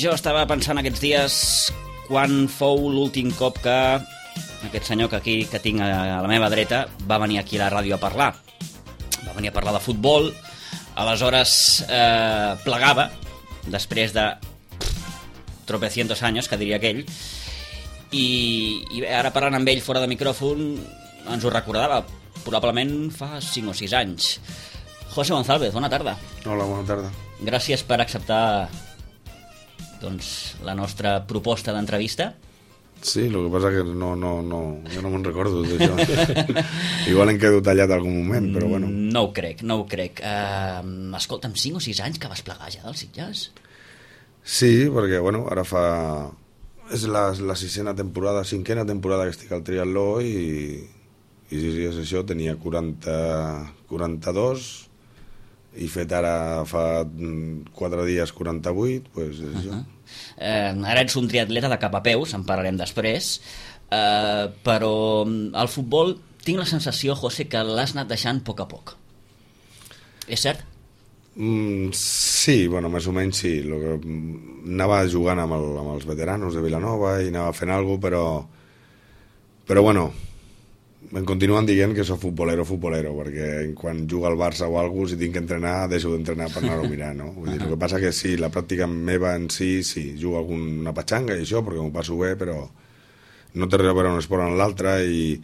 jo estava pensant aquests dies quan fou l'últim cop que aquest senyor que tinc a la meva dreta va venir aquí a la ràdio a parlar. Va venir a parlar de futbol, aleshores plegava, després de tropecientos años, que diria aquell, i ara parlant amb ell fora de micròfon ens ho recordava, probablement fa 5 o 6 anys. José González, bona tarda. Hola, bona tarda. Gràcies per acceptar la nostra proposta d'entrevista. Sí, el que passa que jo no me'n recordo d'això. Igual em quedo tallat algun moment, però bueno. No ho crec. Escolta'm, 5 o 6 anys que vas plegar ja dels Sitges? Sí, perquè bueno, ara és la 5ª temporada que estic al triatló i sí, és això, tenia 42 i fet ara fa 4 dies 48, doncs és això. Ara ets un triatleta de cap a peus, en parlarem després, però al futbol tinc la sensació, José, que l'has anat deixant a poc a poc. És cert? Sí, bueno, més o menys sí. Anava jugant amb els veteranos de Vilanova i anava fent alguna cosa, però bueno, em continuen dient que soc futbolero, perquè quan juga al Barça o alguna cosa, si tinc que entrenar, deixo d'entrenar per anar-ho a mirar, no? Vull dir, el que passa que sí, la pràctica meva en sí, jugo alguna patxanga i això, perquè m'ho passo bé, però no té res a veure un esport en l'altre i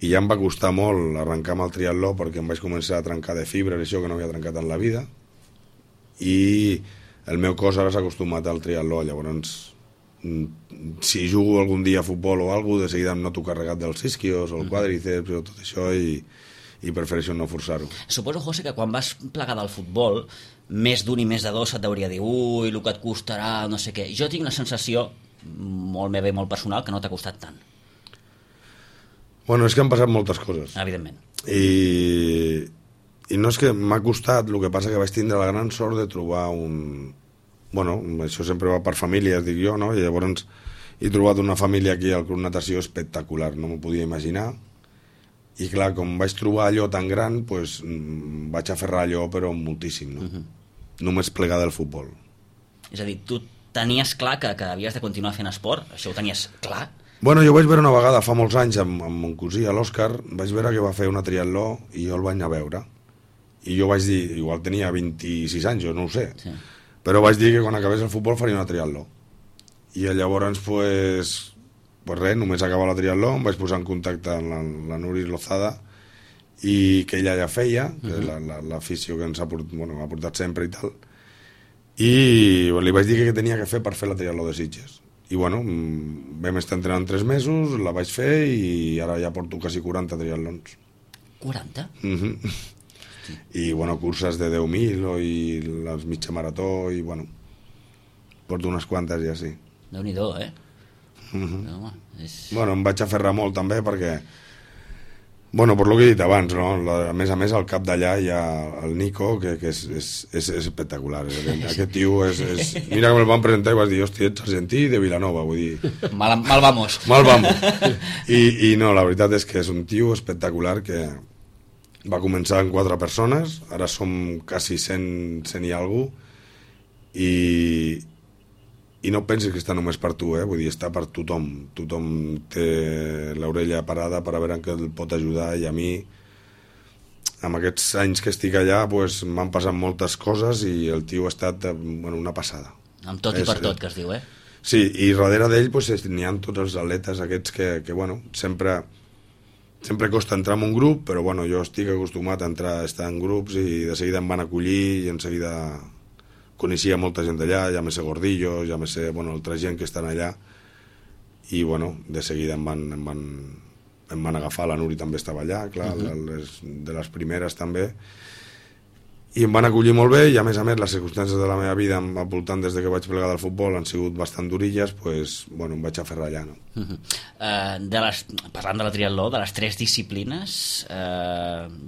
ja em va costar molt arrencar amb el triatló perquè em vaig començar a trencar de fibres i això que no havia trencat en la vida i el meu cos ara s'ha acostumat al triatló, llavors si jugo algun dia a futbol o alguna cosa, de seguida em noto carregat dels isquios o el quadríceps o tot això i prefereixo no forçar-ho. Suposo, José, que quan vas plegar del futbol més d'un i més de dos se't hauria de dir ui, el que et costarà, no sé què. Jo tinc la sensació, molt meva i molt personal, que no t'ha costat tant. Bueno, és que han passat moltes coses. Evidentment. I no és que m'ha costat, el que passa que vaig tindre la gran sort de trobar bueno, això sempre va per famílies, dic jo, no? I llavors he trobat una família aquí al Club Natació espectacular, no m'ho podia imaginar. I clar, com vaig trobar allò tan gran, doncs vaig aferrar allò, però moltíssim, no? Només plegar del futbol. És a dir, tu tenies clar que havies de continuar fent esport? Això ho tenies clar? Bueno, jo vaig veure una vegada, fa molts anys, amb mon cosí, a l'Òscar, vaig veure que va fer una triatló i jo el vaig anar a veure. I jo vaig dir, igual tenia 26 anys, jo no ho sé, sí. Però vaig dir que quan acabés el futbol faria una triatló. I llavors, pues res, només acabar la triatló, em vaig posar en contacte amb la Nuris Lozada i que ella ja feia, que l'afició que ens ha portat sempre i tal. I li vaig dir que tenia que fer per fer la triatló de Sitges. I bueno, vam estar entrenant 3 mesos, la vaig fer i ara ja porto quasi 40 triatlons. 40? I bueno, curses de 10.000 i les mitja marató i bueno, porto unes quantes ja, sí. Déu-n'hi-do, eh? Home, bueno, em vaig aferrar molt també perquè bueno, per lo que he dit abans, no? A més, al cap d'allà hi ha el Nico, que és espectacular. Aquest tio és... Mira que me'l van presentar i vas dir, hòstia, ets argentí de Vilanova, vull dir... Mal vamos. Mal vamos. I no, la veritat és que és un tio espectacular que va començar amb 4 persones, ara som quasi 100 i alguna cosa, i no pensis que està només per tu, vull dir, està per tothom. Tothom té l'orella parada per a veure en què el pot ajudar i a mi, amb aquests anys que estic allà, pues, m'han passat moltes coses i el tio ha estat una passada. Amb tot i per tot, que es diu, eh? Sí, i darrere d'ell pues, n'hi ha tots els atletes aquests que bueno, sempre costa entrar en un grup, però bueno, jo estic acostumat a estar en grups i de seguida em van acollir i en seguida coneixia molta gent d'allà, ja me sé Gordillo, ja me sé altra gent que estan allà i bueno, de seguida em van agafar, la Nuri també estava allà, clar, de les primeres també, i em van acollir molt bé i a més les circumstàncies de la meva vida al voltant des que vaig plegar del futbol han sigut bastant durilles, doncs bueno, em vaig aferrar allà, no? Parlant de la triatló, de les 3 disciplines,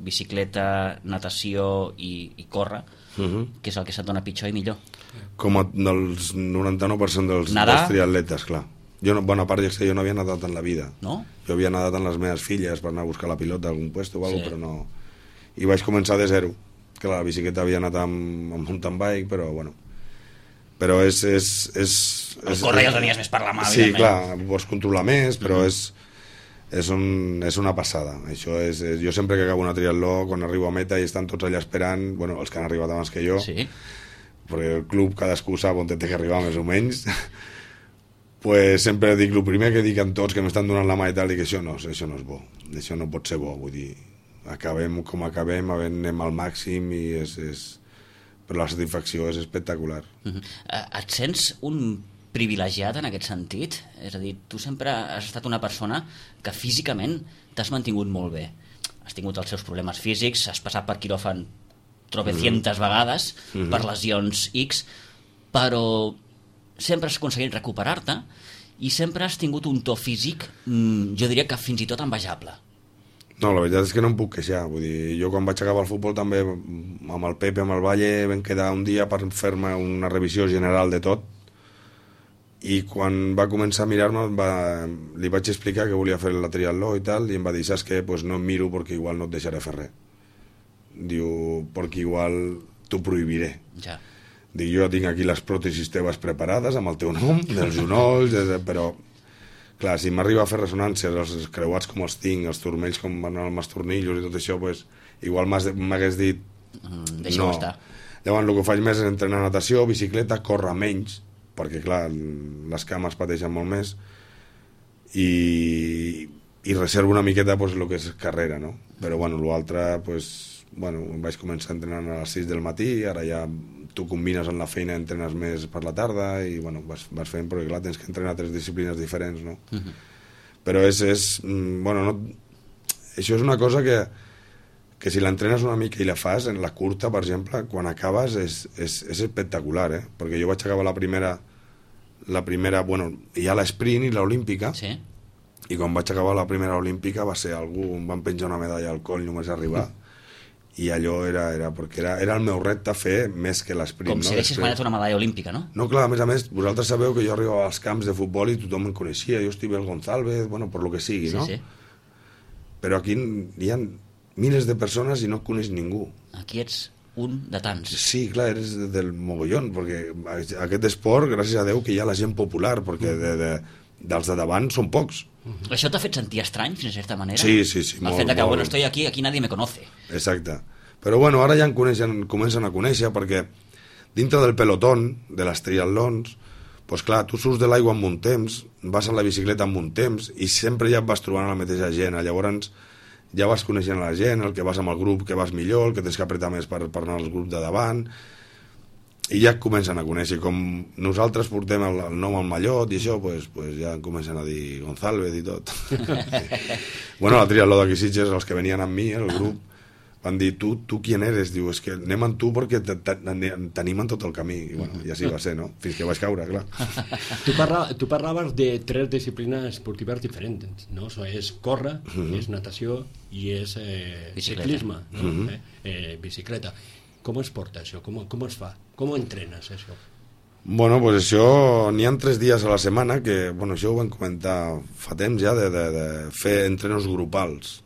bicicleta, natació i córrer, què és el que se't dona pitjor i millor? Com del 99% dels triatletes, clar. Jo, bona part, jo no havia nadat en la vida. No? Jo havia nadat amb les meves filles per anar a buscar la pilota a algun puesto o alguna cosa, però no... I vaig començar de zero, que la bicicleta havia anat amb mountain bike, però bueno... però és el córrer ja el tenies més per la mà, sí, evidentment. clar, vols controlar més, però és una passada. Això jo sempre que acabo una triatló, quan arribo a meta i estan tots allà esperant, bueno, els que han arribat abans que jo, Sí. perquè el club cadascú sap on té que arribar més o menys, pues sempre dic, el primer que dic amb tots que m'estan donant la mà i tal, dic, això no és bo, això no pot ser bo, vull dir, acabem com acabem, anem al màxim i però la satisfacció és espectacular. Et sents un privilegiat en aquest sentit? És a dir, tu sempre has estat una persona que físicament t'has mantingut molt bé. Has tingut els seus problemes físics, has passat per quiròfan tropecientes vegades per lesions X, però sempre has aconseguit recuperar-te i sempre has tingut un to físic, jo diria que fins i tot envejable. No, la veritat és que no em puc queixar. Vull dir, jo quan vaig acabar el futbol també amb el Pepe, amb el Valle, vam quedar un dia per fer-me una revisió general de tot i quan va començar a mirar-me li vaig explicar que volia fer la triatló i tal i em va dir, saps què? Pues no em miro perquè igual no et deixaré fer res. Diu, perquè igual t'ho prohibiré. Ja. Dic, jo tinc aquí les pròtesis teves preparades amb el teu nom, dels genolls, però clar, si m'arriba a fer ressonàncies, els creuats com els tinc, els turmells com van amb els tornillos i tot això, pues, igual m'hagués dit Deixa-ho estar. Llavors el que faig més és entrenar natació, bicicleta, córrer menys, perquè clar, les cames pateixen molt més i reservo una miqueta pues, el que és carrera, no? Però bueno, l'altre, pues, bueno, vaig començar entrenant a les 6 del matí, ara ja tu combines amb la feina, entrenes més per la tarda i bueno, vas fent, perquè clar, tens que entrenar 3 disciplines diferents, no? Però bueno, no, això és una cosa que si l'entrenes una mica i la fas, en la curta, per exemple, quan acabes és espectacular, perquè jo vaig acabar la primera, bueno, hi ha l'esprint i l'olímpica, Sí. i quan vaig acabar la primera olímpica va ser algú, em van penjar una medalla al coll només arribar, i allò era perquè era el meu repte fer més que l'esprint. Com si haguessis guanyat una medalla olímpica, no? No, clar, a més, vosaltres sabeu que jo arribava als camps de futbol i tothom em coneixia, jo estic el González, bueno, per lo que sigui, Sí, no? sí. Però aquí hi ha milers de persones i no coneix ningú. Aquí ets un de tants. Sí, clar, eres del mogollón, perquè aquest esport, gràcies a Déu, que hi ha la gent popular, perquè dels de davant són pocs. Això t'ha fet sentir estrany, fins a certa manera? Sí, El molt, fet de que, molt. bueno, estoy aquí nadie me conoce. Exacte. Però bueno, ara ja comencen a conèixer, perquè dintre del pelotón, de les triatlons, doncs clar, tu surts de l'aigua amb un temps, vas a la bicicleta amb un temps, i sempre ja et vas trobant la mateixa gent. Llavors ja vas coneixent la gent, el que vas amb el grup que vas millor, el que tens que apretar més per anar al grup de davant, i ja et comencen a conèixer. Com nosaltres portem el nom al mallot i això, pues ja comencen a dir González i tot. Bueno, la triatló d'aquí Sitges, els que venien amb mi, el grup, van dir, tu qui eres? Diu, és que anem amb tu perquè t'animen tot el camí. I bueno, i així va ser, no? Fins que vaig caure, clar. Tu parlaves de 3 disciplines esportives diferents, no? És córrer, és natació i és ciclisme, no? Bicicleta. Com es porta això? Com es fa? Com entrenes això? Bueno, pues això, n'hi ha 3 dies a la setmana que, bueno, això ho vam comentar fa temps ja, de fer entrenos grupals.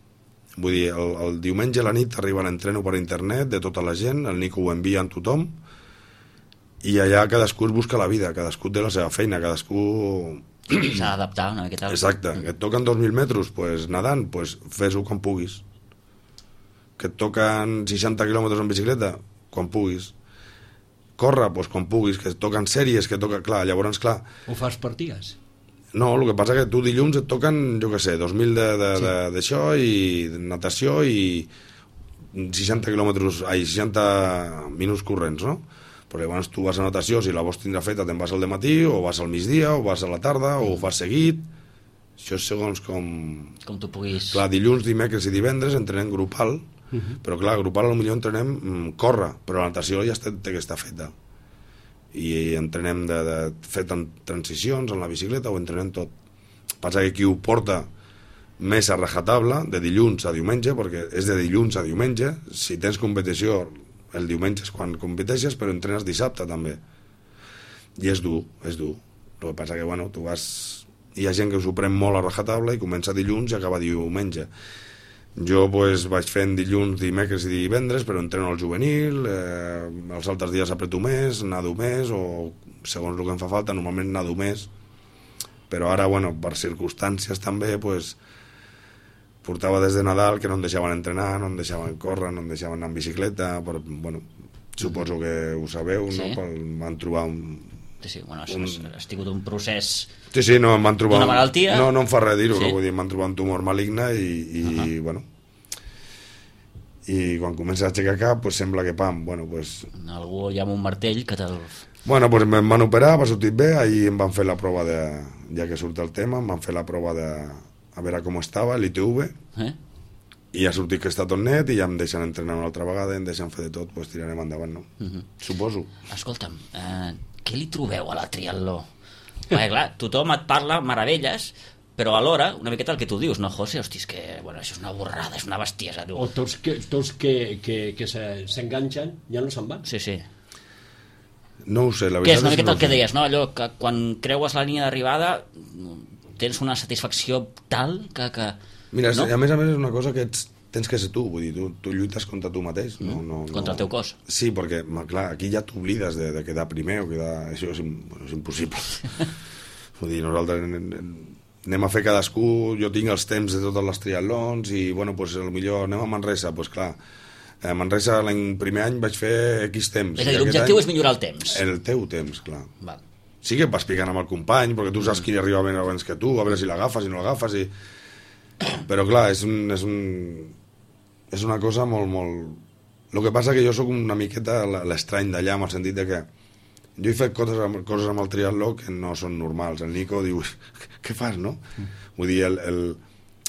Vull dir, el diumenge a la nit arriba l'entreno per internet de tota la gent, el Nico ho envia a tothom, i allà cadascú es busca la vida, cadascú té la seva feina, cadascú... S'ha d'adaptar una miqueta. Exacte, que et toquen 2.000 metres, pues, nedant, pues, fes-ho quan puguis. Que et toquen 60 quilòmetres en bicicleta, quan puguis. Corre, pues, quan puguis, que et toquen sèries, que toca... Clar, llavors, clar... Ho fas per dies? No, el que passa que tu dilluns et toquen, jo què sé, 2.000 d'això i de natació i 60 quilòmetres, 60 minuts corrents, no? Però llavors tu vas a natació, si la vols tindre feta te'n vas al dematí, o vas al migdia, o vas a la tarda, o ho fas seguit. Això és segons com... Com tu puguis... Clar, dilluns, dimecres i divendres entrenem grupal, però clar, grupal potser entrenem córrer, però la natació ja té que estar feta. I entrenem de fer transicions en la bicicleta, ho entrenem tot. Passa que qui ho porta més a rajatabla, de dilluns a diumenge, perquè és de dilluns a diumenge, si tens competició el diumenge és quan competeixes, però entrenes dissabte també. I és dur, és dur. El que passa que, bueno, tu vas... Hi ha gent que s'ho pren molt a rajatabla i comença dilluns i acaba diumenge. Jo pues, vaig fent dilluns, dimecres i divendres, però entreno al juvenil, els altres dies apreto més, nado més, o segons el que em fa falta, normalment nado més, però ara, bueno, per circumstàncies també, pues, portava des de Nadal que no em deixaven entrenar, no em deixaven córrer, no em deixaven anar en bicicleta, però, bueno, suposo que ho sabeu, sí. no? Van trobar Sí, bueno, ha tingut un procés... Sí, no, em van trobar... D'una malaltia? No em fa res dir-ho, sí. Vull dir, em van trobar un tumor maligne i bueno... I quan comença a aixecar cap, pues sembla que pam, bueno, pues... Algú ja amb un martell que te'l... Bueno, pues em van operar, va sortir bé, ahir em van fer la prova de... Ja que surt el tema, em van fer la prova de... A veure com estava, l'ITV, i ha sortit que està tot net i ja em deixen entrenar una altra vegada, em deixen fer de tot, pues tirarem endavant, no? Suposo. Escolta'm, què li trobeu a la triatló? Perquè, clar, tothom et parla meravelles, però alhora, una miqueta el que tu dius, no, José? Hosti, és que, bueno, això és una borrada, és una bestiesa, tu. O tots que s'enganxen ja no se'n van. Sí. No ho sé, la veritat és... Què és una miqueta no el que deies, no? Allò que quan creues la línia d'arribada tens una satisfacció tal que Mira, no? a més és una cosa que tens que ser tu, vull dir, tu lluites contra tu mateix. Contra el teu cos. Sí, perquè, clar, aquí ja t'oblides de quedar primer o quedar... Això és impossible. Vull dir, nosaltres anem a fer cadascú, jo tinc els temps de totes les triatlons i, bueno, pues, potser anem a Manresa, pues clar, a Manresa l'any primer any vaig fer X temps. És a dir, l'objectiu és millorar el temps. El teu temps, clar. Val. Sí que vas picant amb el company, perquè tu saps qui arriba ben abans que tu, a veure si l'agafes, si no l'agafes, però clar, és una cosa molt... El que passa que jo sóc una miqueta l'estrany d'allà, en el sentit de que jo he fet coses amb el triatló que no són normals. El Nico diu, què fas, no? Vull dir, el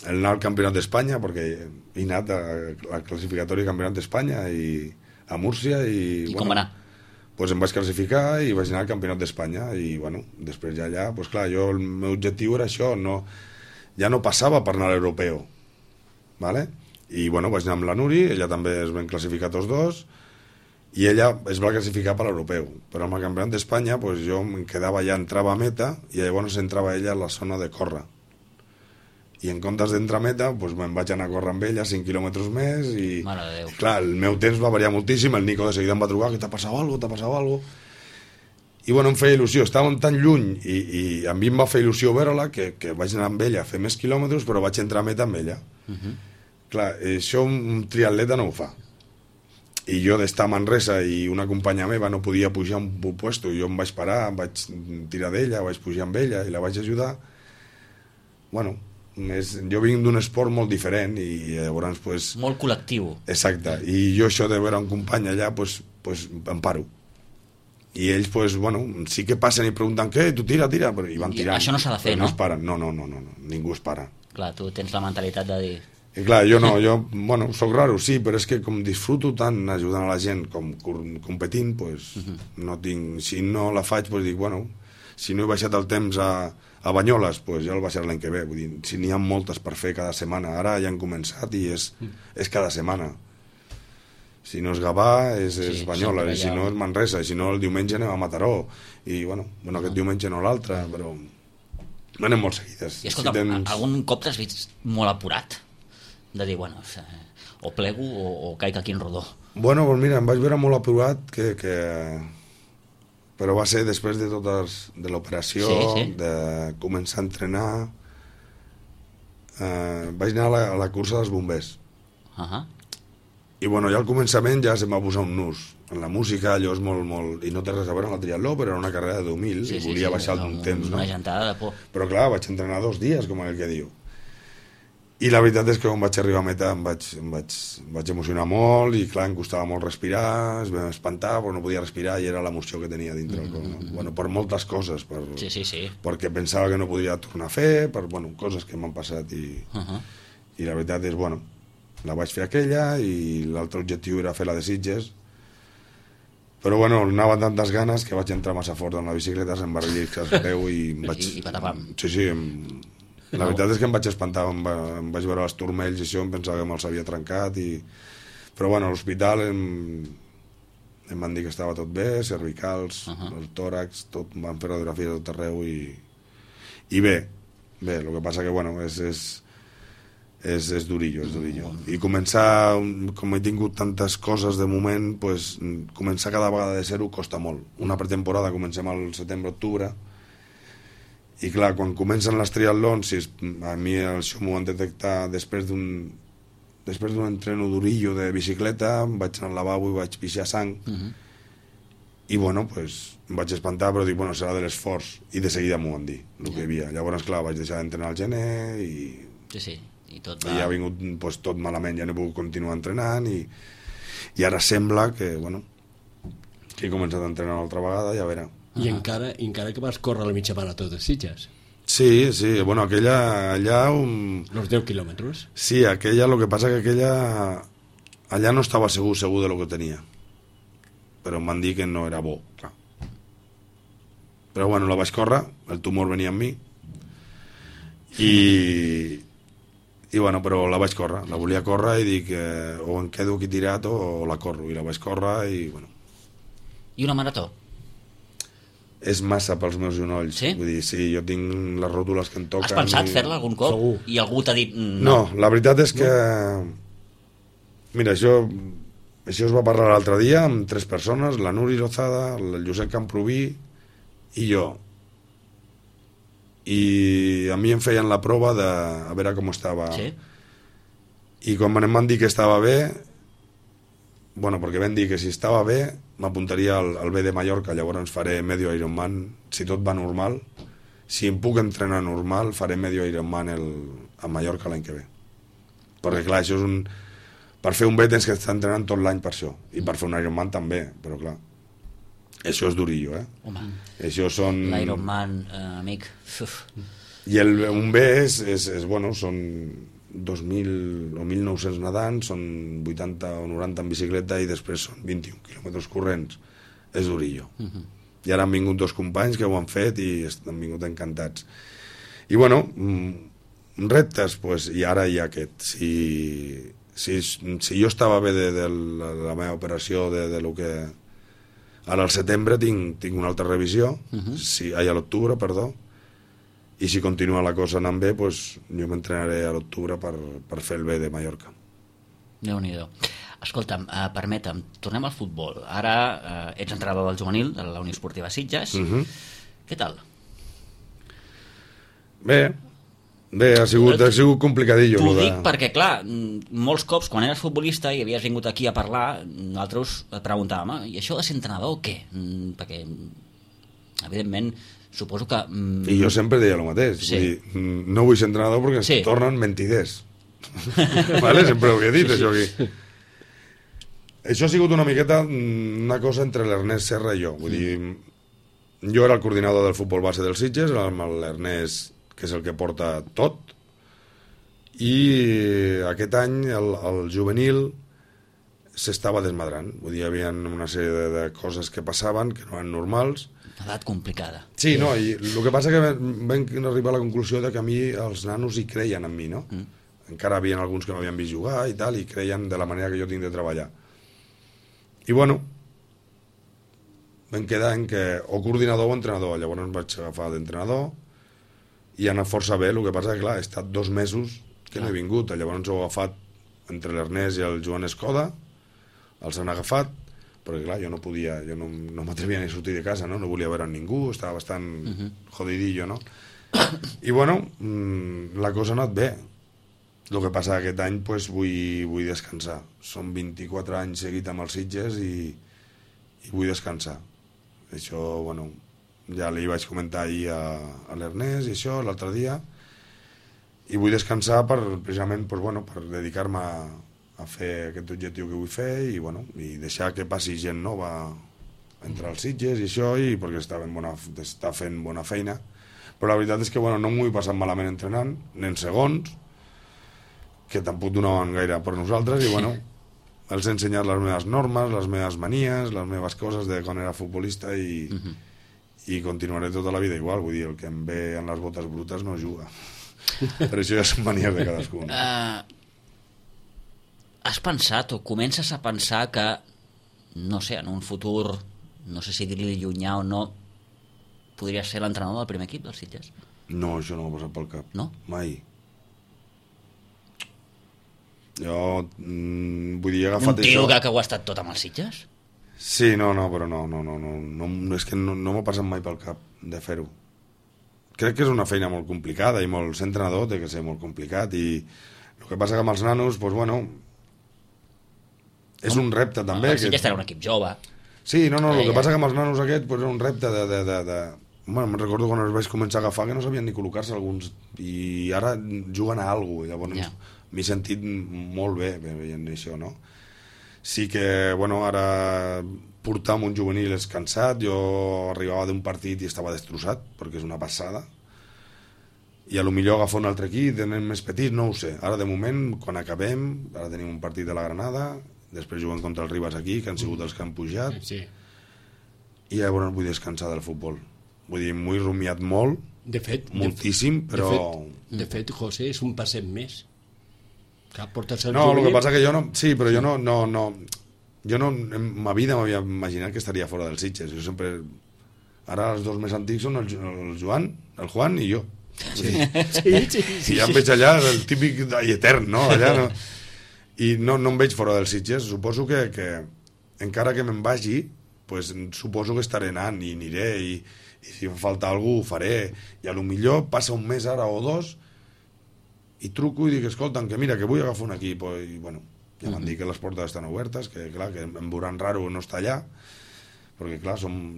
anar al Campionat d'Espanya, perquè he anat al classificatori del Campionat d'Espanya a Múrcia i com va anar? Pues em vaig classificar i vaig anar al Campionat d'Espanya i, bueno, després ja allà, pues clar, el meu objectiu era això, ja no passava per anar a l'europeu, ¿vale? I, bueno, vaig anar amb la Nuri, ella també es van classificar tots dos, i ella es va classificar per l'europeu, però amb el Campionat d'Espanya pues, jo em quedava allà, entrava a meta i llavors entrava ella a la zona de córrer, i en comptes d'entrar a meta pues, me'n vaig anar a córrer amb ella 5 quilòmetres més i clar, el meu temps va variar moltíssim. El Nico de seguida em va trucar, que t'ha passat alguna cosa? I bueno, em feia il·lusió, estàvem tan lluny i a mi em va fer il·lusió veure-la que vaig anar amb ella a fer més quilòmetres, però vaig entrar a meta amb ella. Clar, això un triatleta no ho fa. I jo d'estar a Manresa i una companya meva no podia pujar un puesto, jo em vaig parar, em vaig tirar d'ella, vaig pujar amb ella i la vaig ajudar. Bueno, jo vinc d'un esport molt diferent i llavors pues, molt col·lectiu. Exacte, i jo això de veure un company allà pues em paro. I ells, pues, bueno, sí que passen i pregunten què, tu tira, però i van tirant. Això no s'ha de fer, no? No es paren, no, ningú es para. Clar, tu tens la mentalitat de dir... I clar, jo bueno, soc raro, sí, però és que com disfruto tant ajudant a la gent com competint, pues, no tinc... Si no la faig, pues dic, bueno, si no he baixat el temps a Banyoles, pues ja el baixaré l'any que ve. Vull dir, si n'hi ha moltes per fer cada setmana, ara ja han començat i és cada setmana. Si no és Gavà, és Banyoles, i si no és Manresa, i si no el diumenge anem a Mataró, i bueno aquest diumenge no l'altre, però anem molt seguides. I escolta, algun cop t'has vist molt apurat? De dir, bueno, o plego o caic aquí en rodó. Bueno, doncs mira, em vaig veure molt apurat però va ser després de de l'operació, de començar a entrenar. Vaig anar a la cursa dels bombers. I bueno, ja al començament ja se'm va posar un nus. En la música allò és molt... I no té res a veure amb el triatló, però era una carrera de 10.000 i volia baixar un temps, no? Una gentada de por. Però clar, vaig entrenar 2 dies, com el que diu. I la veritat és que quan vaig arribar a meta em vaig emocionar molt i clar, em costava molt respirar, es vam espantar, però no podia respirar i era l'emoció que tenia dintre el cor, no? Bueno, per moltes coses, perquè pensava que no podria tornar a fer, per coses que m'han passat i la veritat és, bueno, la vaig fer aquella i l'altre objectiu era fer la de Sitges, però bueno, anava amb tantes ganes que vaig entrar massa fort amb la bicicleta, se'm va relliscar el peu i em vaig... I patapam. Sí, la veritat és que em vaig espantar, em vaig veure els turmells i això, em pensava que me'ls havia trencat però bueno, a l'hospital em van dir que estava tot bé, cervicals, el tòrax, tot, em van fer radiografies a tot arreu i bé, el que passa que bueno, és durillo. I començar, com he tingut tantes coses de moment, pues, començar cada vegada de zero costa molt. Una pretemporada comencem al setembre-octubre, i clar, quan comencen les triatlons, a mi això m'ho van detectar després d'un entreno durillo de bicicleta, vaig anar al lavabo i vaig pixar sang, i bueno, pues, em vaig espantar, però dic, bueno, serà de l'esforç, i de seguida m'ho van dir, el que hi havia. Llavors, clar, vaig deixar d'entrenar al gener, i tot ja ha vingut pues, tot malament, ja no he pogut continuar entrenant, i ara sembla que, bueno, que he començat a entrenar una altra vegada, ja veurà. I encara que vas córrer la mitja marató de Sitges. Sí, bueno, aquella allà... Los 10 quilòmetres. Sí, aquella, lo que passa que aquella... Allà no estava segur de lo que tenia. Però em van dir que no era bo, clar. Però bueno, la vaig córrer, el tumor venia amb mi, i bueno, però la vaig córrer, la volia córrer i dic o em quedo aquí tirat o la corro, i la vaig córrer i bueno. I una marató? És massa pels meus genolls. Sí? Vull dir, sí, jo tinc les ròtules que em toquen. Has pensat fer-la algun cop? Segur. I algú t'ha dit no, la veritat és que mira, això es va parlar l'altre dia amb 3 persones, la Nuri Lozada, el Josep Camproví i jo, i a mi em feien la prova de a veure com estava. Sí? I quan em van dir que estava bé, bueno, perquè vam dir que si estava bé m'apuntaria al B de Mallorca, llavors faré medio Ironman si tot va normal. Si em puc entrenar normal, faré medio Ironman a Mallorca l'any que ve, perquè clar, això és per fer un B tens que estar entrenant tot l'any per això, i per fer un Ironman també, però clar, això és durillo, Home, això són... l'Ironman, amic. I un B és bueno, són 2.000 o 1.900 nedant, són 80 o 90 en bicicleta i després són 21 quilòmetres corrents. És durillo. I ara han vingut 2 companys que ho han fet i han vingut encantats. I bueno, reptes, pues, i ara hi ha aquest. Si jo estava bé de la meva operació, de lo que... Ara al setembre tinc una altra revisió, a l'octubre, perdó, i si continua la cosa anant bé, pues, jo m'entrenaré a l'octubre per fer el B de Mallorca. Déu-n'hi-do. Escolta'm, permetem, tornem al futbol. Ara ets entrenador del juvenil de la Unió Esportiva Sitges. Què tal? Bé, ha sigut complicadillo. T'ho dic perquè, clar, molts cops, quan eres futbolista i havies vingut aquí a parlar, nosaltres et preguntàvem, i això de ser entrenador o què? Perquè, evidentment, suposo que... I jo sempre deia el mateix. Sí. Vull dir, no vull ser entrenador perquè ens tornen mentiders. Vale? Sempre ho he dit, això aquí. Això ha sigut una miqueta una cosa entre l'Ernest Serra i jo. Vull dir, jo era el coordinador del futbol base dels Sitges, amb l'Ernest, que és el que porta tot, i aquest any el juvenil s'estava desmadrant. Vull dir, hi havia una sèrie de coses que passaven que no eren normals. Una edat complicada. Sí, no, i el que passa que vam arribar a la conclusió de que a mi els nanos hi creien en mi, no? Encara havia alguns que no havien vist jugar i tal, i creien de la manera que jo tinc de treballar. I bueno, vam quedar en que o coordinador o entrenador. Llavors em vaig agafar d'entrenador i ha anat força bé. El que passa que, clar, he estat 2 mesos que no he vingut. Llavors ho he agafat entre l'Ernest i el Joan Escoda, els han agafat, perquè clar, jo no podia, jo no m'atrevia ni a sortir de casa, no volia veure ningú, estava bastant jodidillo, no? I bueno, la cosa ha anat bé. El que passa aquest any pues, vull descansar. Són 24 anys seguit amb els Sitges i vull descansar. Això, bueno, ja li vaig comentar ahir a l'Ernest i això, l'altre dia, i vull descansar precisament pues, bueno, per dedicar-me a fer aquest objectiu que vull fer i, bueno, i deixar que passi gent nova entre els Sitges i això, i perquè està fent bona feina. Però la veritat és que bueno, no m'ho he passat malament entrenant, ni en segons, que tampoc donaven gaire per nosaltres, i bueno, els he ensenyat les meves normes, les meves manies, les meves coses de quan era futbolista i continuaré tota la vida igual. Vull dir, el que em ve en les botes brutes no juga. Però això ja són manies de cadascun. Has pensat o comences a pensar que, no sé, en un futur, no sé si dir-li llunyà o no, podries ser l'entrenador del primer equip dels Sitges? No, això no m'ha passat pel cap. No? Mai. Jo, vull dir, he agafat Un tio això... que ho ha estat tot amb els Sitges? Sí, no, però no, és que no m'ha passat mai pel cap de fer-ho. Crec que és una feina molt complicada i molt... Ser entrenador té que ser molt complicat i el que passa que amb els nanos, doncs bueno, és un repte també. Els Sitges tenen un equip jove. Sí, no, el que passa que amb els nanos aquest doncs, és un repte de... Bueno, me'n recordo quan els vaig començar a agafar que no sabien ni col·locar-se alguns i ara juguen a alguna cosa, llavors m'he sentit molt bé veient això, no? Sí que, bueno, ara portar amb un juvenil és cansat, jo arribava d'un partit i estava destrossat, perquè és una passada, i a lo millor agafar un altre equip, tenen més petits, no ho sé. Ara, de moment, quan acabem, ara tenim un partit de la Granada, després juguem contra el Ribas aquí, que han sigut els que han pujat, Sí. i llavors vull descansar del futbol. Vull dir, m'ho he rumiat molt, De fet, moltíssim, però... De fet, José, és un passet més. Que portes el No, el que juvenil. passa que jo no... Sí, però jo no... Jo no, en ma vida m'havia imaginat que estaria fora dels Sitges. Jo sempre... Ara els dos més antics són el Juan i jo. Sí. I ja em veig allà, el típic i etern, no? Allà no... I no em veig fora dels Sitges. Suposo que encara que me'n vagi, pues, suposo que estaré anant i aniré i si em falta alguna cosa ho faré. I a lo millor passa un mes ara o dos i truco i dic, escolta'm, que mira, que vull agafar un equip. I bueno, ja m'han dit que les portes estan obertes, que clar, que em veuran raro no estar allà, perquè clar,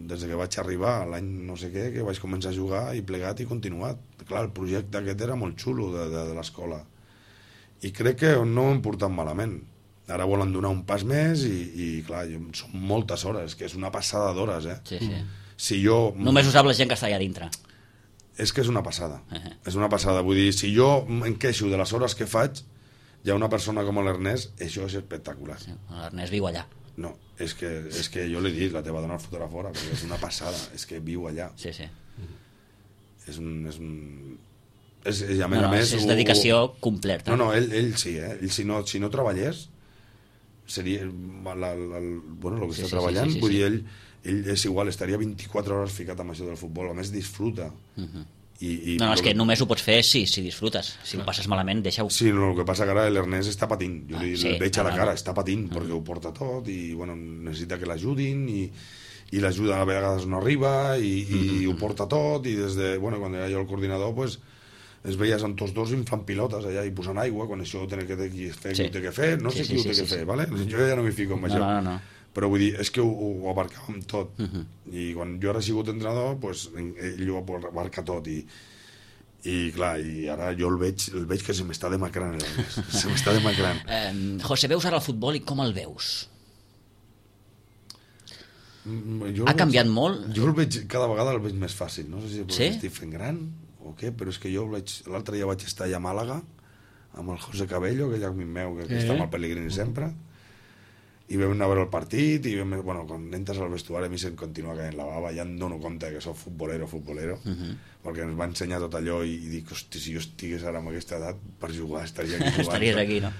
des que vaig arribar l'any no sé què, que vaig començar a jugar i plegat i continuat. Clar, el projecte aquest era molt xulo de l'escola i crec que no m'hem portat malament. Ara volen donar un pas més i clar, són moltes hores, que és una passada d'hores, Sí. Si jo... Només ho sap la gent que està allà dintre. És que és una passada. És una passada. Vull dir, si jo m'enqueixo de les hores que faig, hi ha una persona com l'Ernest, això és espectacular. Sí, l'Ernest viu allà. No, és que jo l'he dit, la teva dona el fotrà fora, perquè és una passada, és que viu allà. Sí. És i a més, és dedicació completa. No, ell sí, ell si no treballés, seria el que està treballant, vull dir, ell és igual, estaria 24 hores ficat amb això del futbol, a més disfruta. No, és que només ho pots fer si disfrutes. Si ho passes malament, deixa-ho. Sí, no, el que passa que ara l'Ernest està patint. Jo li veig a la cara, està patint, perquè ho porta tot i bueno, necessita que l'ajudin i l'ajuda a vegades no arriba i ho porta tot i des de, bueno, quan era jo el coordinador, pues, es veies amb tots dos inflant pilotes allà i posant aigua, quan això ho té que fer, qui ho té que fer, no sé qui ho té que fer, ¿vale? Jo ja no m'hi fico amb això. No. Però vull dir, és que ho abarcàvem tot. I quan jo ara he sigut entrenador, pues, ell ho abarca tot i clar, i ara jo el veig que se m'està demacrant se m'està demacrant. José, veus ara el futbol i com el veus? Ha canviat molt? Jo el veig, cada vegada el veig més fàcil, no sé si perquè estic fent gran o què, però és que jo l'altre dia vaig estar allà a Màlaga amb el José Cabello, aquell amic meu que està amb el Pellegrini sempre, i vam anar a veure el partit i bueno, quan entres al vestuari a mi se'm continua caient la bava, ja em dono compte que soc futbolero perquè ens va ensenyar tot allò i dic, hosti, si jo estigués ara amb aquesta edat per jugar, estaria aquí jugant. Estaries aquí, no?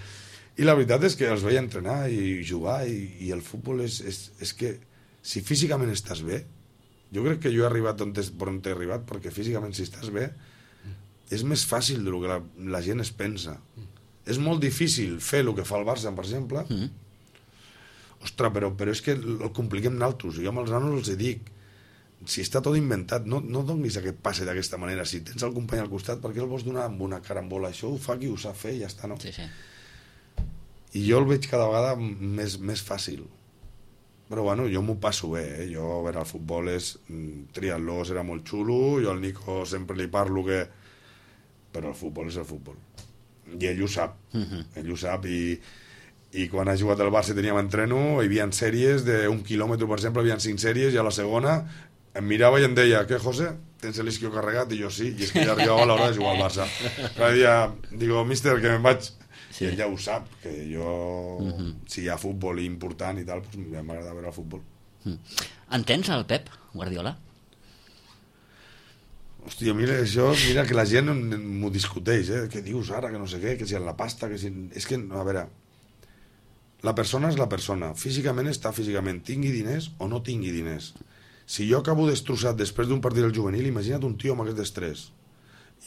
I la veritat és que els veia entrenar i jugar i el futbol és que si físicament estàs bé, jo crec que jo he arribat on he arribat perquè físicament si estàs bé és més fàcil del que la gent es pensa. És molt difícil fer el que fa el Barça, per exemple. Ostres, però és que el compliquem naltros. Jo amb els nanos els dic, si està tot inventat, no donis aquest passe d'aquesta manera. Si tens el company al costat, per què el vols donar amb una carambola? Això ho fa qui ho sap fer i ja està, no? Sí. I jo el veig cada vegada més fàcil. Però bueno, jo m'ho passo bé, Jo, a veure, el futbol és... Triatló serà molt xulo, jo al Nico sempre li parlo que... Però el futbol és el futbol. I ell ho sap. Ell ho sap i quan ha jugat al Barça teníem entreno, hi havia sèries d'un quilòmetre, per exemple, hi havia 5 sèries, i a la segona em mirava i em deia, què, José? Tens l'isquio carregat? I jo sí, i és que ja arribava a l'hora de jugar al Barça. Cada dia digo, míster, que me'n vaig. I ell ja ho sap, que jo, si hi ha futbol important i tal, doncs m'agrada veure el futbol. Entens el Pep Guardiola? Hòstia, mira que la gent m'ho discuteix, Què dius ara, que no sé què, que si en la pasta, que si... És que, a veure, la persona és la persona, físicament està físicament, tingui diners o no tingui diners. Si jo acabo destrossat després d'un partit del juvenil, imagina't un tio amb aquest estrès.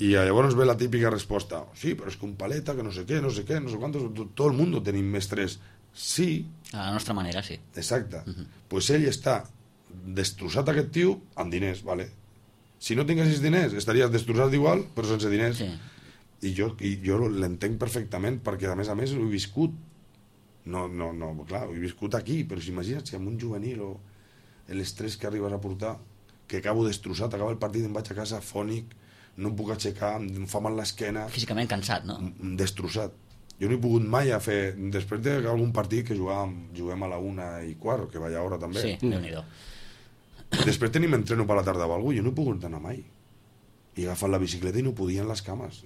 I llavors ve la típica resposta, sí, però és que un paleta, que no sé què, no sé quantos, tot el món tenim mestres. Sí. A la nostra manera, sí. Exacte. Pues ell està destrossat aquest tio amb diners, vale? Si no tinguessis diners, estaries destrossat igual, però sense diners. Sí. I jo l'entenc perfectament, perquè a més ho he viscut. No, clar, ho he viscut aquí, però imagina't si amb un juvenil o l'estrès que arribes a portar, que acabo destrossat, acaba el partit, em vaig a casa fònic, no em puc aixecar, em fa mal l'esquena... Físicament cansat, no? Destrossat. Jo no he pogut mai a fer... Després d'algun partit que juguem a la 1:15, que vaya hora també. Sí, Déu-n'hi-do. Després tenim entreno per la tarda o alguna cosa, jo no he pogut anar mai. I he agafat la bicicleta i no podia en les cames.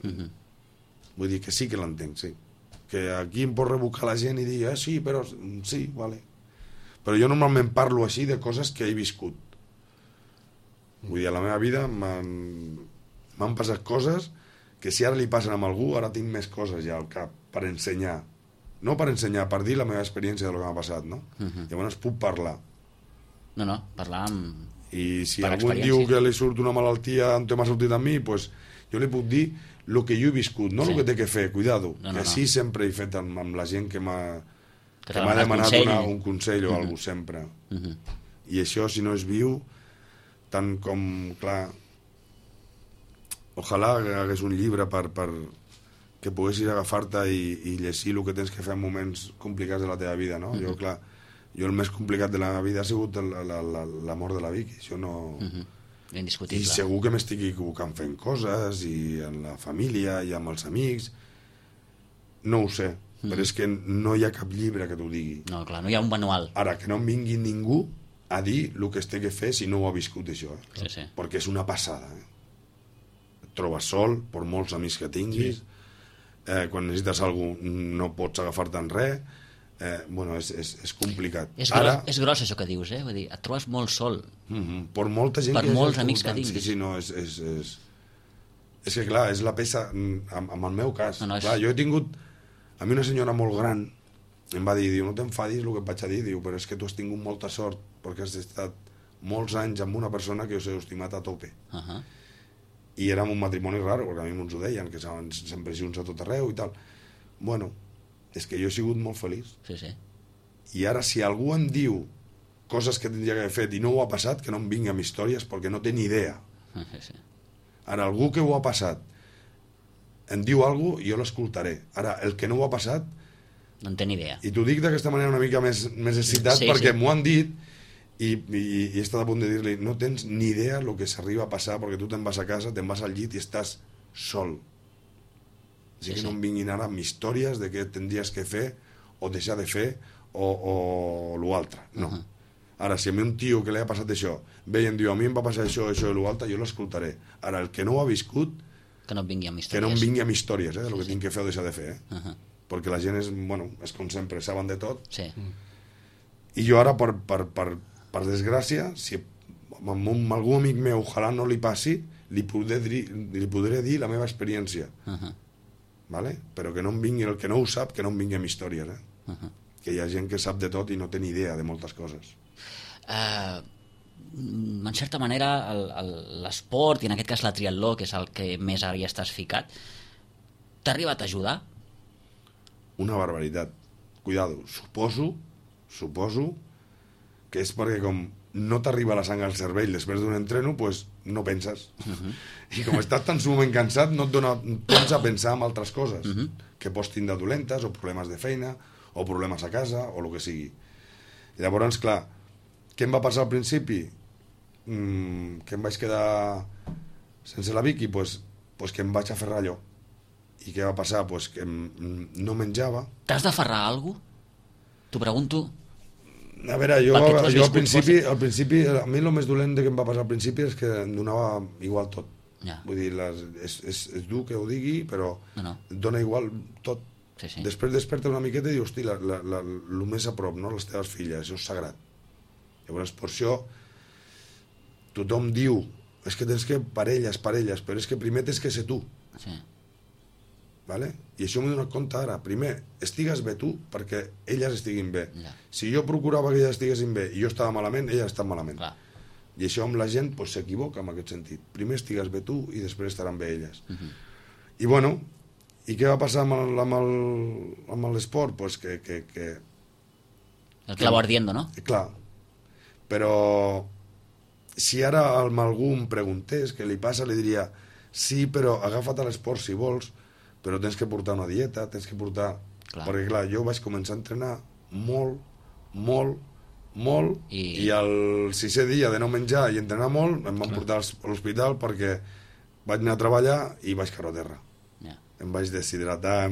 Vull dir que sí que l'entenc, sí. Que aquí em pot revocar la gent i dir, sí, però... Sí, vale. Però jo normalment parlo així de coses que he viscut. Vull dir, a la meva vida m'han passat coses que si ara li passen a algú, ara tinc més coses ja al cap per ensenyar. No per ensenyar, per dir la meva experiència de lo que m'ha passat, no? Llavors puc parlar. No, parlar amb... I si algú diu que li surt una malaltia on m'ha sortit a mi, pues, jo li puc dir el que jo he viscut, no el que té que fer, cuidado. Que sí sempre he fet amb la gent que m'ha demanat un consell o alguna cosa sempre. I això, si no és viu, tant com, clar, ojalà hagués un llibre per que poguessis agafar-te i llegir el que tens que fer en moments complicats de la teva vida, no? Jo el més complicat de la meva vida ha sigut la mort de la Vicky, això no... Indiscutible. I segur que m'estic equivocant fent coses, i en la família, i amb els amics, no ho sé, però és que no hi ha cap llibre que t'ho digui. No, clar, no hi ha un manual. Ara, que no em vingui ningú a dir el que es té que fer si no ho ha viscut això, Sí. Perquè és una passada, Et trobes sol, per molts amics que tinguis, quan necessites alguna cosa no pots agafar-te en res, és complicat. És gros això que dius, Vull dir, et trobes molt sol. Per molta gent per molts amics que tinguis. Sí, no, és que clar, és la peça, en el meu cas. Clar, jo he tingut, a mi una senyora molt gran em va dir, no t'enfadis el que et vaig a dir, però és que tu has tingut molta sort perquè has estat molts anys amb una persona que us heu estimat a tope. I érem un matrimoni raro, perquè a mi ens ho deien, que sempre junts a tot arreu i tal. Bueno, és que jo he sigut molt feliç. Sí. I ara, si algú em diu coses que tindria que haver fet i no ho ha passat, que no em vingui amb històries, perquè no té ni idea. Sí. Ara, algú que ho ha passat em diu alguna cosa, jo l'escoltaré. Ara, el que no ho ha passat... No en té ni idea. I t'ho dic d'aquesta manera una mica més excitat, perquè m'ho han dit i he estat a punt de dir-li, no tens ni idea el que s'arriba a passar, perquè tu te'n vas a casa, te'n vas al llit i estàs sol. Així que no em vinguin ara amb històries de què tindries que fer o deixar de fer o l'altre, no. Ara, si a mi un tio que li ha passat això ve i em diu, a mi em va passar això i l'altre, jo l'escoltaré. Ara, el que no ho ha viscut, que no em vingui amb històries, que no em vingui amb històries del que tinc que fer o deixar de fer, perquè la gent és com sempre, saben de tot. I jo ara, per desgràcia, si amb algun amic meu ojalà no li passi, li podré dir la meva experiència. Vale? Però que no em vingui el que no ho sap, que no em vingui amb històries, que hi ha gent que sap de tot i no té ni idea de moltes coses. En certa manera l'esport, i en aquest cas la triatló, que és el que més ara hi estàs ficat, t'ha arribat a ajudar? Una barbaritat. Cuidado, suposo que és perquè com no t'arriba la sang al cervell després d'un entreno, pues no penses. I com estàs tan sumament cansat, no et dona temps a pensar en altres coses que pots tindre dolentes, o problemes de feina, o problemes a casa, o el que sigui. Llavors, clar, què em va passar al principi? Que em vaig quedar sense la Vicky? Pues que em vaig aferrar allò. I què va passar? Pues que no menjava. T'has d'aferrar a algú? T'ho pregunto. A veure, jo al principi, a mi el més dolent que em va passar al principi és que em donava igual tot. Vull dir, és dur que ho digui, però et dona igual tot. Després desperta una miqueta i dius, hosti, el més a prop, no? Les teves filles, això és sagrat. Llavors, per això, tothom diu, és que tens que parelles, però és que primer tens que ser tu. Vale? I això m'he donat compte ara. Primer, estigues bé tu perquè elles estiguin bé. Si jo procurava que elles estiguessin bé i jo estava malament, elles estan malament. I això amb la gent pues, s'equivoca en aquest sentit. Primer estigues bé tu i després estaran bé elles. I bueno, i què va passar amb l'esport? Pues que el clavo ardiendo, no? Clar, però si ara algú em preguntés què li passa, li diria sí, però agafa't a l'esport si vols, però tens que portar una dieta, tens que portar... Clar. Perquè clar, jo vaig començar a entrenar molt, i el 6è dia de no menjar i entrenar molt em van portar a l'hospital perquè vaig anar a treballar i vaig caure a terra. Em vaig deshidratar,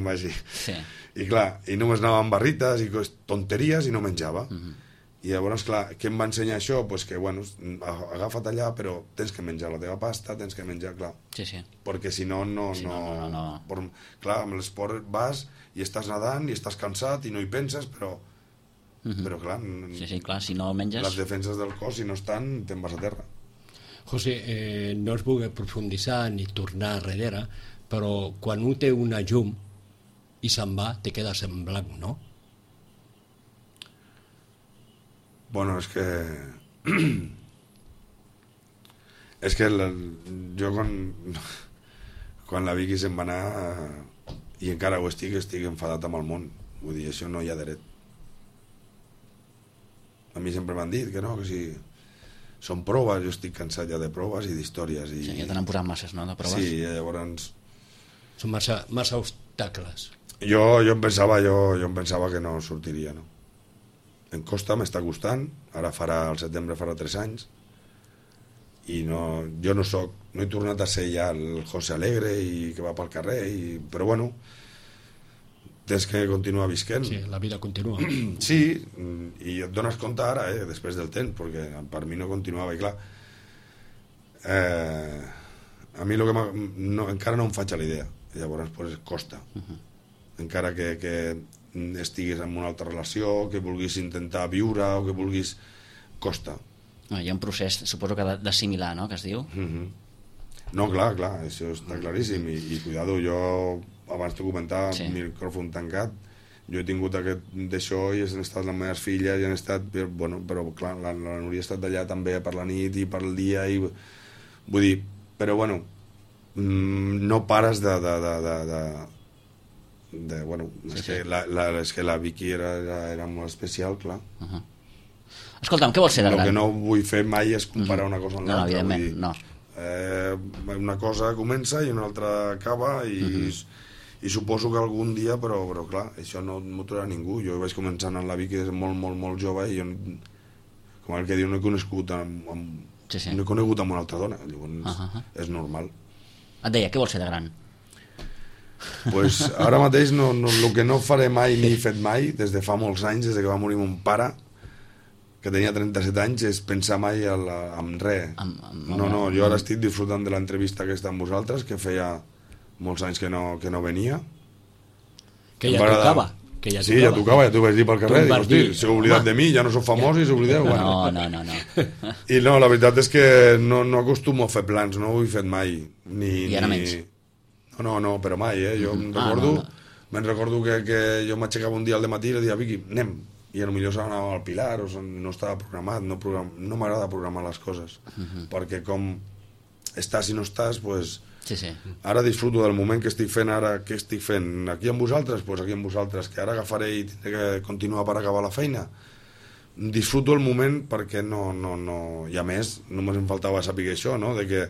Sí. I clar, i només anava amb barrites i tonteries i no menjava. I llavors, clar, què em va ensenyar això? Pues que, bueno, agafa't allà, però tens que menjar la teva pasta, tens que menjar, clar. Sí. Perquè si no, no. Clar, amb l'esport vas i estàs nedant i estàs cansat i no hi penses, però clar, sí, clar, si no menges... les defenses del cos, si no estan, te'n vas a terra. José, no es vull profunditzar ni tornar darrere, però quan un té una llum i se'n va, te quedes en blanc, no? Bueno, és que... jo quan la Vicky se'n va anar i encara ho estic enfadat amb el món. Vull dir, això no hi ha dret. A mi sempre m'han dit que no, que si són proves, jo estic cansat ja de proves i d'històries. Sí, ja te n'han posat masses, no, de proves? Sí, llavors... Són massa obstacles. Jo em pensava que no sortiria, no? Em costa, m'està costant, ara al setembre farà 3 anys, i jo no he tornat a ser ja el José Alegre i que va pel carrer, però bueno, tens que continuar visquent. Sí, la vida continua. Sí, i et dones compte ara, després del temps, perquè per mi no continuava, i clar, a mi encara no em faig a la idea, llavors pues, costa. Encara que estiguis en una altra relació, que vulguis intentar viure o que vulguis... costa. Hi ha un procés, suposo que d'assimilar, no?, que es diu. No, clar, això està claríssim, i cuidado, jo abans t'ho comentava, sí. Micròfon tancat, jo he tingut d'això i han estat les meves filles i han estat, bueno, però clar, la Núria ha estat allà també per la nit i per el dia, i vull dir, però bueno, no pares bueno, sí. És que la Vicky era molt especial, clar. Escolta'm, què vols ser de gran? El que no vull fer mai és comparar una cosa amb l'altra. No, evidentment, no. Una cosa comença i una altra acaba i suposo que algun dia, però clar, això no m'ho trobarà ningú. Jo vaig començar anant a la Vicky des de molt jove i jo, com el que diu, no he conegut amb una altra dona, llavors és normal. Et deia, què vols ser de gran? Pues ara mateix el que no faré mai ni he fet mai des de fa molts anys, des que va morir mon pare, que tenia 37 anys, és pensar mai en res. No, jo ara estic disfrutant de l'entrevista aquesta amb vosaltres, que feia molts anys que no venia. Que ja tocava. Sí, ja tocava, ja t'ho vaig dir pel carrer. Dic, hosti, s'heu oblidat de mi, ja no sóc famós i s'oblideu. No. I no, la veritat és que no acostumo a fer plans, no ho he fet mai. I ara menys. No, però mai, Jo me'n recordo que jo m'aixecava un dia al matí i li deia, Vicky, anem. I potser s'anava al Pilar, o no estava programat, no m'agrada programar les coses, perquè com estàs i no estàs, pues, sí. Ara disfruto del moment que estic fent ara, què estic fent aquí amb vosaltres, pues aquí amb vosaltres, que ara agafaré i tindré que continuar per acabar la feina. Disfruto el moment perquè no, i a més, només em faltava saber això, no?, de que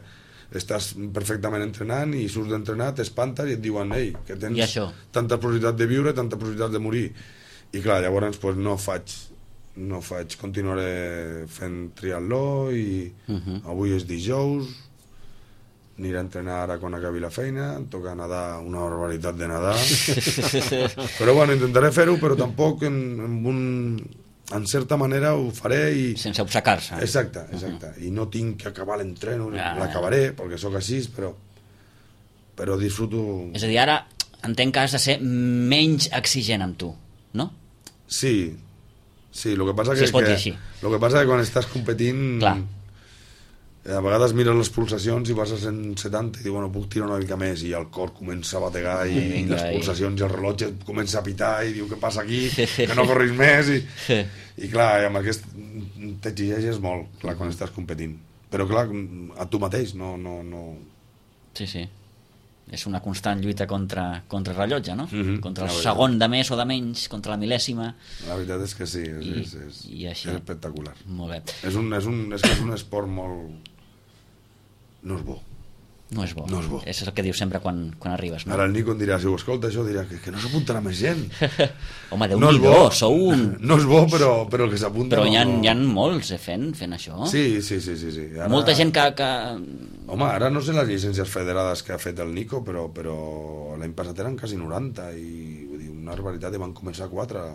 estàs perfectament entrenant i surts d'entrenar, t'espantes i et diuen, ei, que tens tanta possibilitat de viure, tanta possibilitat de morir. I clar, llavors pues, no faig, continuaré fent triatló i avui és dijous, aniré a entrenar ara quan acabi la feina, em toca nedar, una barbaritat de nedar, però bueno, intentaré fer-ho, però tampoc en certa manera ho faré i... sense obcecar-se. Exacte, i no tinc que acabar l'entreno, l'acabaré, perquè sóc així, però disfruto... És a dir, ara entenc que has de ser menys exigent amb tu, no? Sí, el que passa si es pot dir així. Lo que passa que quan estàs competint, clar, a vegades mires les pulsacions i vas a 170 i dius, bueno, puc tirar una mica més, i el cor comença a bategar i les pulsacions i el rellotge comença a pitar i diu, què passa aquí, que no corris més, i clar, amb aquest t'exigeixes molt, clar, quan estàs competint. Però, clar, a tu mateix, no... Sí, sí. És una constant lluita contra el rellotge, no? Contra el La segon de més o de menys, contra la mil·lèsima. La veritat és que sí, és així. espectacular. Molt bé. És un esport molt... No és bo. No és bo. No és bo. És el que dius sempre quan arribes, no? Ara el Nico em dirà, si ho escolta això, dirà que no s'apuntarà més gent. Home, Déu-n'hi-do, sou un... No és bo, però el que s'apunta... Però hi ha molts fent això. Sí. Ara... Molta gent que... Home, ara no sé les llicències federades que ha fet el Nico, però l'any passat eren quasi 90, i vull dir, una barbaritat, i van començar 4.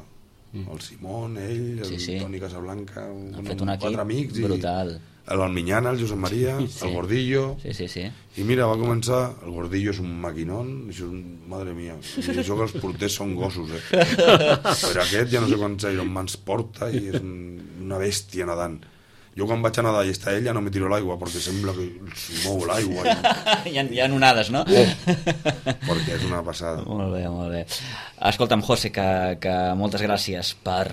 El Simón, ell, el Toni Casablanca, han fet un equip 4 amics, brutal. L'Alminyana, el Josep Maria, el Gordillo... Sí. I mira, va començar... El Gordillo és un maquinón, això és madre mia. I això que els porters són gossos, Però aquest ja no sé quants Ironmans porta i és una bèstia nedant. Jo quan vaig a nedar i està ell ja no me tiro a l'aigua perquè sembla que es mou l'aigua. Hi ha onades, no? Perquè és una passada. Molt bé. Escolta'm, José, que moltes gràcies per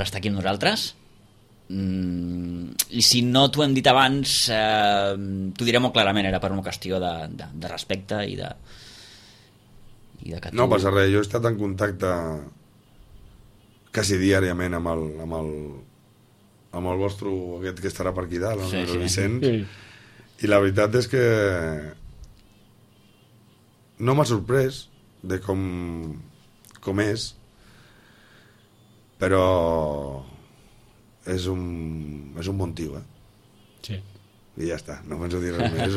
estar aquí amb nosaltres. I si no t'ho hem dit abans, t'ho diré molt clarament, era per una qüestió de respecte i de que tu... No passa res, jo he estat en contacte quasi diàriament amb el vostre, aquest que estarà per aquí dalt, el Vicenç, i la veritat és que no m'ha sorprès de com és, però és un bon tio, Sí. I ja està, no penso dir res més.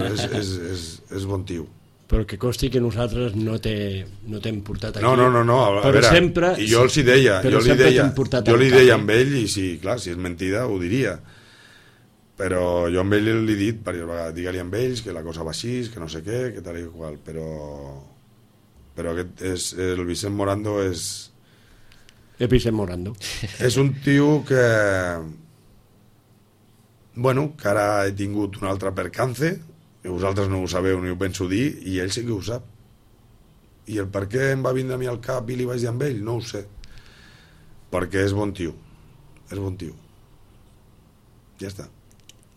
És bon tio. Però que costi que nosaltres no t'hem portat aquí. No, a veure, sempre, i jo els hi deia, jo li deia amb ell, i sí, clar, si és mentida ho diria, però jo amb ell li he dit diverses vegades, digue-li amb ells que la cosa va així, que no sé què, que tal i qual, però aquest el Vicent Morando és un tio que que ara he tingut un altre percance, que vosaltres no ho sabeu ni ho penso dir, i ell sí que ho sap, i el per què em va vindre a mi al cap i li vaig dir amb ell, no ho sé, perquè és bon tio, ja està.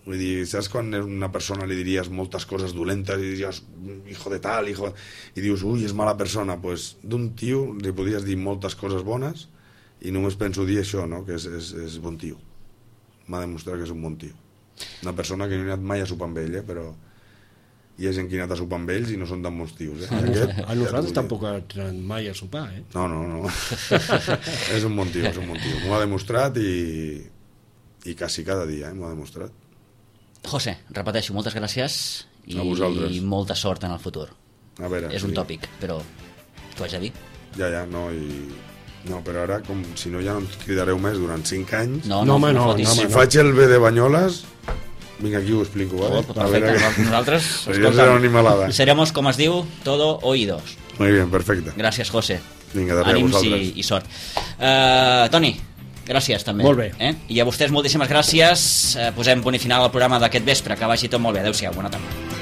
Vull dir, saps quan a una persona li diries moltes coses dolentes i diries hijo de tal, i dius ui, és mala persona, pues d'un tio li podries dir moltes coses bones i només penso dir això, no? Que és bon tio. M'ha demostrat que és un bon tio. Una persona que no he anat mai a sopar amb ell, però hi ha gent que ha anat a sopar amb ells i no són tan bons tios. A nosaltres tampoc ha anat mai a sopar, No. És un bon tio. M'ho ha demostrat i quasi cada dia, m'ho ha demostrat. José, repeteixo, moltes gràcies i molta sort en el futur. A veure, és un tòpic, però t'ho haig de dir. Ja, no, però ara, com si no ja no ens cridareu més durant 5 anys... No, si faig el B de Banyoles, vinc aquí i ho explico, ¿vale? Perfecte, nosaltres seremos, com es diu, todo oídos. Muy bien, perfecte. Gràcies, José. Vinga, de res, vosaltres. I sort. Toni, gràcies també. Molt bé. I a vostès moltíssimes gràcies. Posem punt i final al programa d'aquest vespre. Que vagi tot molt bé. Adéu-siau, bona tarda.